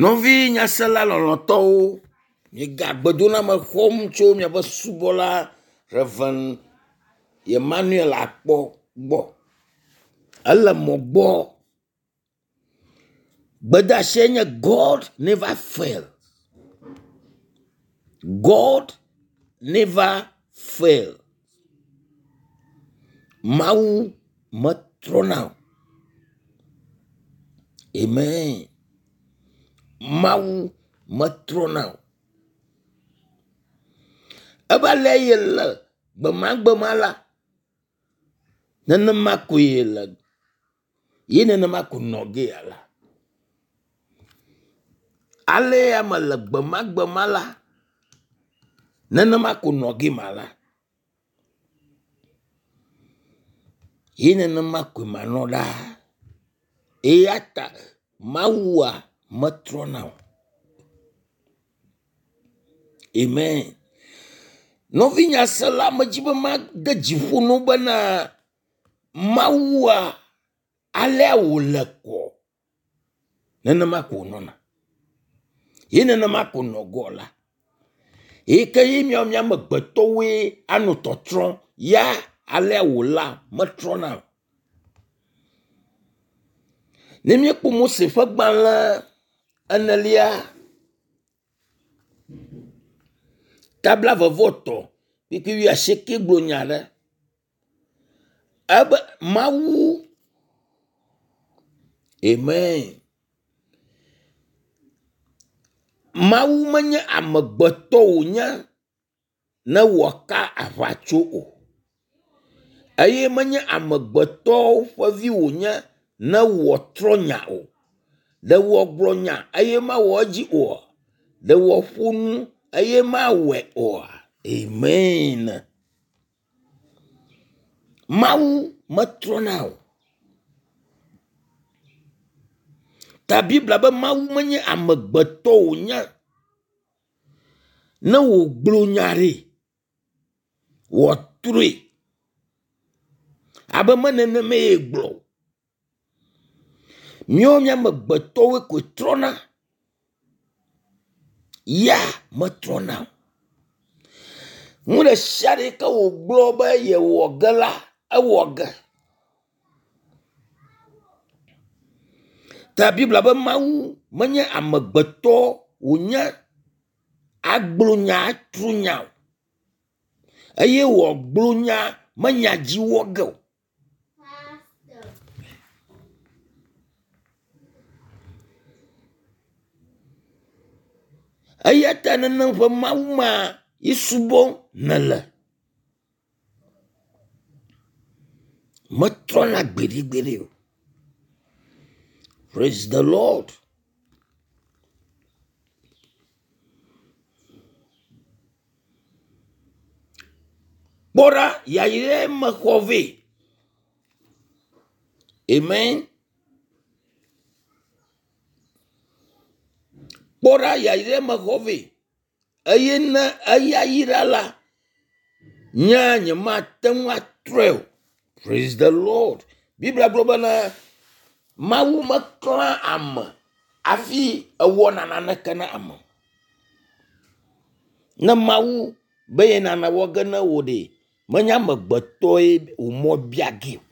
Nɔvi nyasela lɔlɔ̃tɔwo, miega gbedoname xɔm tso miaƒe subɔla Rev. Emmanuel Akpɔ gbɔ. Ele mɔ gbɔ. Gbedeasie nye God never fail. God never fail. Mawu metrɔna o. Amen. Mawu metrɔna o. Ebe ale ye le gbemagbema la, nenema koe le ye nenema ko nɔ gea la. Ale ya me le gbemagbema la, nenema ko nɔ ge ma la. Ye nenema koe manɔ ɖaa. Eya ta Mawua metrɔna o. Amen. Nɔvi nyasela medzi be made dzi ƒo na wo bena Mawua alea wòle kɔ nenema ko wònɔna. Ye nenema ko nɔ gɔ la. Eyi ke ye míawo mía amegbetɔwoe anɔ tɔtrɔm ya alea wòla metrɔna o. Ne míekpɔ Mose ƒe gbalẽ enelia tabla vɔvɔ tɔ kpukpui wuiasieke gblɔ nya ɖe. Ebe Mawu Amen. Mawu menye amegbetɔ wònye ne wòaka aʋatso o. Eye menye amegbetɔwo ƒe vi wònye ne wòatrɔ nya o. Ɖe wòagblɔ nya eye mawɔ edzi oa? Ɖe wòaƒo nu eye mawɔe oa? Amen. Mawu metrɔna o. Ta Biblia be Mawu menye amegbetɔ wònye ne wògblɔ nya ɖi wòatrɔe abe me nenemae gblɔ o. Míawo mía amegbetɔwoe koe trɔna. Ya metrɔna o. Nu ɖe sia ɖe yi ke wògblɔ be yewɔ ge la, ewɔ ge. Ta Biblia be Mawu menye amegbetɔ wònye agblɔ nya atru nya o. Eye wòagblɔ nya menya dzi wɔ ge o. Eya ta nenem ƒe Mawu ma yi subɔm nèle. Metrɔna gbeɖegbeɖe o. Praise the Lord. Kpɔ ɖa yayrae mexɔ vɛ. Amen. Kpɔ ɖa yayrae mexɔ vɛ. Eye ne eya yra la, nye nyemate ŋu atrɔe o. Praise the Lord. Biblia gblɔ bena Mawu meklã ame hafi ewɔna naneke na ame. Ne Mawu be ye nane wɔ ge ne wò ɖe, menye amegbetɔe wò mɔ bia ge o.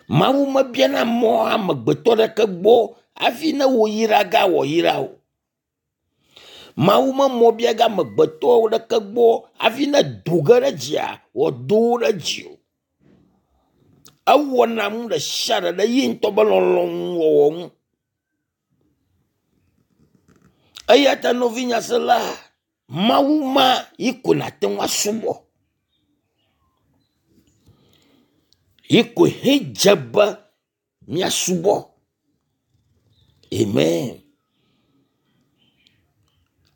Mawu mebiana mɔ amegbetɔ ɖeke gbɔ hafi ne wò yra ge wɔ yra o. Mawu me mɔ bia ge amegbetɔwo ɖeke gbɔ hafi ne do ge ɖe dzia wòado wo ɖe dzi o. Ewɔna nu ɖe sia ɖe ɖe ye ŋutɔ be lɔlɔ̃nu wɔwɔ ŋu. Eya ta nɔvi nyasela, Mawu ma yi ko nàte ŋu asubɔ. Yi koe hedze be míasubɔ. Amen.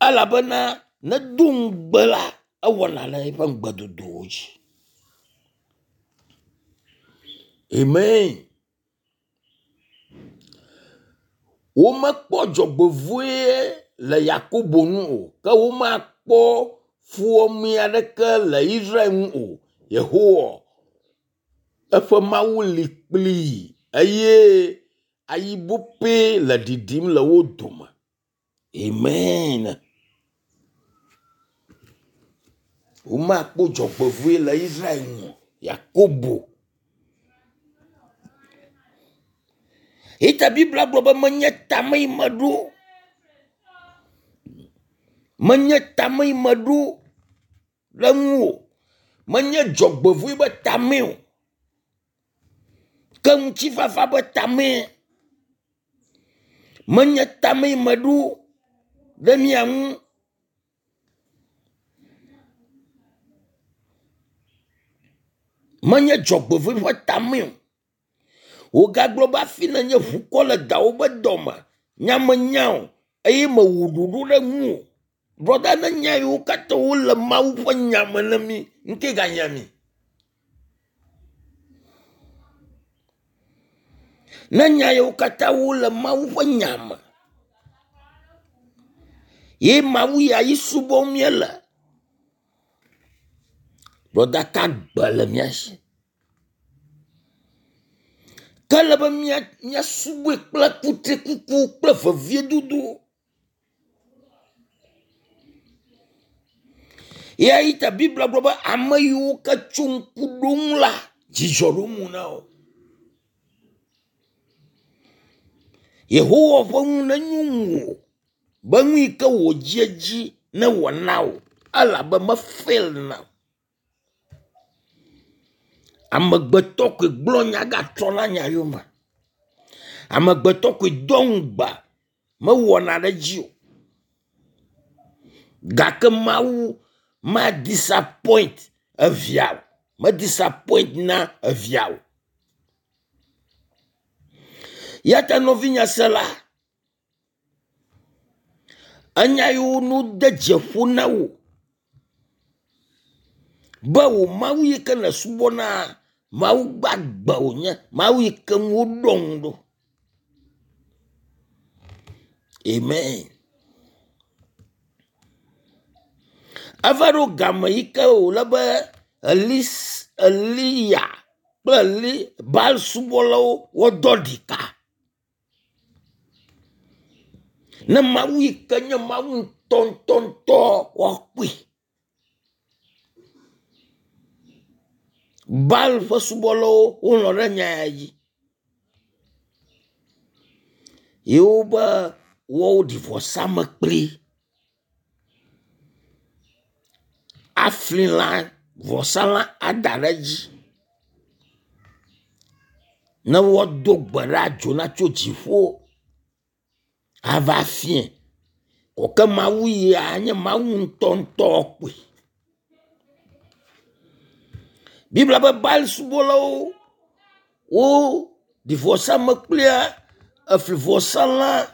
Elabena nedo ŋugbe la, ewɔna ɖe eƒe ŋugbedodowo dzi. Amen. Womekpɔ dzɔgbevɔe le Yakobo ŋu o, ke womakpɔ fuwɔame aɖeke le Israel ŋu o. Yehowa eƒe Mawu li kplii eye Ayibope le ɖiɖim le wo dome. Amen. Womakpɔ dzɔgbevɔe le Israel ŋu o. Yakobo. Eyi ta Biblia gblɔ be menye tame yi meɖo. Menye tame yi meɖo ɖe ŋuwò. Menye dzɔgbevɔe be tamee o. Ke ŋutifafa be tamee. Menye tame yi meɖo ɖe mia ŋu. Menye dzɔgbevɔe ƒe tamee o. Wogagblɔ be hafi nenye ʋukɔ le dawo be dɔme, nya menya o eye mewɔ ɖoɖo ɖe ŋuwò. Brɔda ne nya yiwo katã wole Mawu ƒe nya me na mí, ŋke ganya mí. Ne nya yiwo katã wole Mawu ƒe nya me ye Mawu ya yi subɔm míele. Brɔda ka gbe le mía si. Ke ele be míasubɔe kple kutrikuku kple veviedodo. Ya yi ta Biblia gblɔ be ame yiwo ke tso ŋku ɖo ŋu la, dzidzɔ ɖo mo na wo. Yehowa ƒe nu nenyo ŋuwò be nu yi ke wò dzi edzi newɔ na wò elabe mefail na o. Amegbetɔ koe gblɔ nya gatrɔna nya yome. Amegbetɔ koe doa ŋugbe mewɔna ɖe edzi o. Gake Mawu ma disappoint evia o. Me disappoint na evia o. Ya ta nɔvinye sela, enya yiwo nu de dzeƒo na wò be wò Mawu yi ke nèsubɔna Mawu gbagbe wònye, Mawu yi ke ŋu woɖɔ ŋu ɖo. Amen. Eva ɖo game yi ke wòle be Elis, Eliya kple Eli Baal subɔlawo woadɔ ɖika. Ne Mawu yi ke nye Mawu ŋutɔŋutɔŋutɔ woakpɔe. Baal ƒe subɔlawo wolɔ̃ ɖe nya ya dzi. Ye wobe woaɖi vɔsamlekpui afli lã vɔsalã ada ɖe edzi ne woado gbe ɖa dzo natso dziƒo ava fiẽ. Ke Mawu ya nye Mawu ŋutɔŋutɔ kpoe. Biblia be Baal subɔlawo woɖi vɔsamlekpuia efli vɔsalã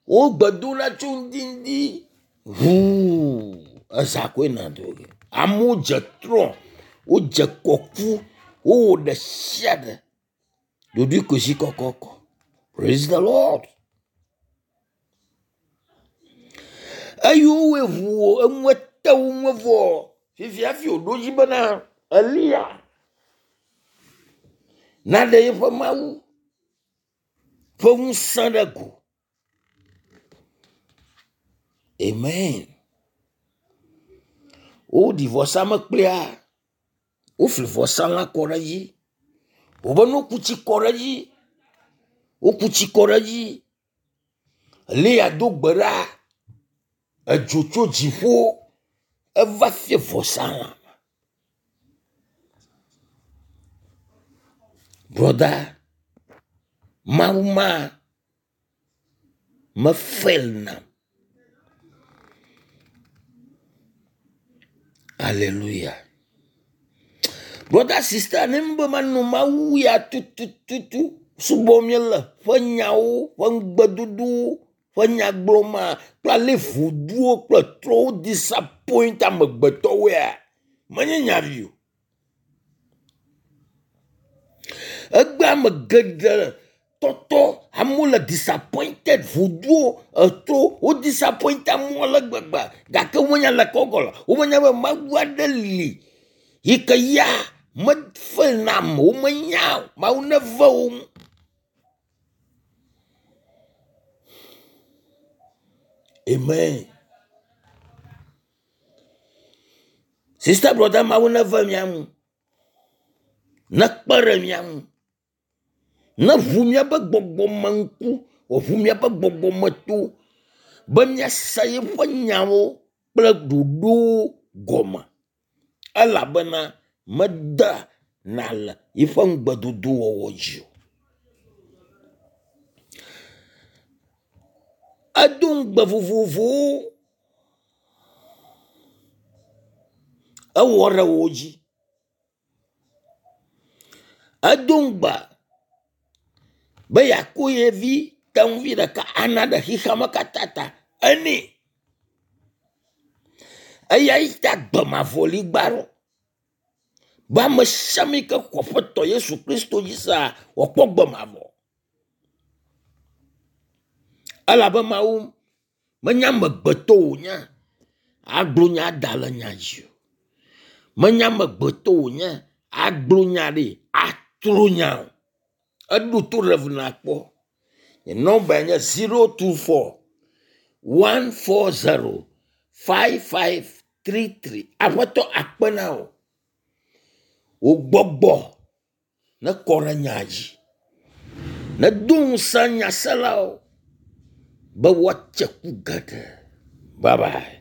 wo gbe dom ɖa tso ŋdi ŋdi ʋuu eza koe na do ge. Amewo dze trɔ, wodze kɔku, wowɔ ɖe sia ɖe. Ɖoɖoe ko zi kɔkɔkɔ. Praise the Lord. Eye wowɔe ʋuu enue te wo ŋu vɔ fifia hafi wòɖo edzi bena Eliya naɖe yeƒe Mawu ƒe ŋusẽ ɖe go. Amen. Woɖi vɔsamlekpuia, wofli vɔsalã kɔ ɖe edzi. Wobe ne woku tsi kɔ ɖe edzi, woku tsi kɔ ɖe edzi. Eliya do gbe ɖa, edzo tso dziƒo eva fia vɔsalã. Brɔda, Mawu ma mefail nam. Aleluya. Brɔda sista ne be manɔ Mawu ya tutututu subɔm míele ƒe nyawo ƒe ŋugbedodowo ƒe nya gblɔm kple ale voduwo kple trɔwo disappoint amegbetɔwoea menye nya vi o. Egbe ame geɖe tɔtɔ amewo le disappointed voduwo eto wo disappoint amewo ale gbegbe gake womenya le ke gɔle womenya be Mawu aɖe li yi ke ya mefe na ame womenya o Mawu neve wo ŋu. Amen. Sister brother Mawu neve mia ŋu. Nekpe ɖe mia ŋu. Neʋu míaƒe gbɔgbɔme ŋku, wòʋu míaƒe gbɔgbɔme to be míase yeƒe nyawo kple ɖoɖowo gɔme elabena meda na le yiƒe ŋugbedodo wɔwɔ dzi o. Edo ŋugbe vovovowo ewɔ ɖe wo dzi. Edo ŋugbe be yeako ye vi tenuvi ɖeka ana ɖe xexeame katã ta. Enɛ. Eya yi ta gbe mavɔ li gba ɖo. Be ame sia ame yi ke xɔ Aƒetɔ Yesu Kristo dzi sea, wòakpɔ gbe mavɔ. Elabe Mawu menye amegbetɔ wònye agblɔ nya da le nya dzi o. Menye amegbetɔ wònye agblɔ nya ɖi atro nya o. Eɖo to ɖe nakpɔ. Nye nɔmba nye 024 140 5533. Aƒetɔ akpe na wò. Wò gbɔgbɔ nekɔ ɖe nya dzi. Nedo ŋusẽ nyaselawo be woatse ku geɖe. Bye bye.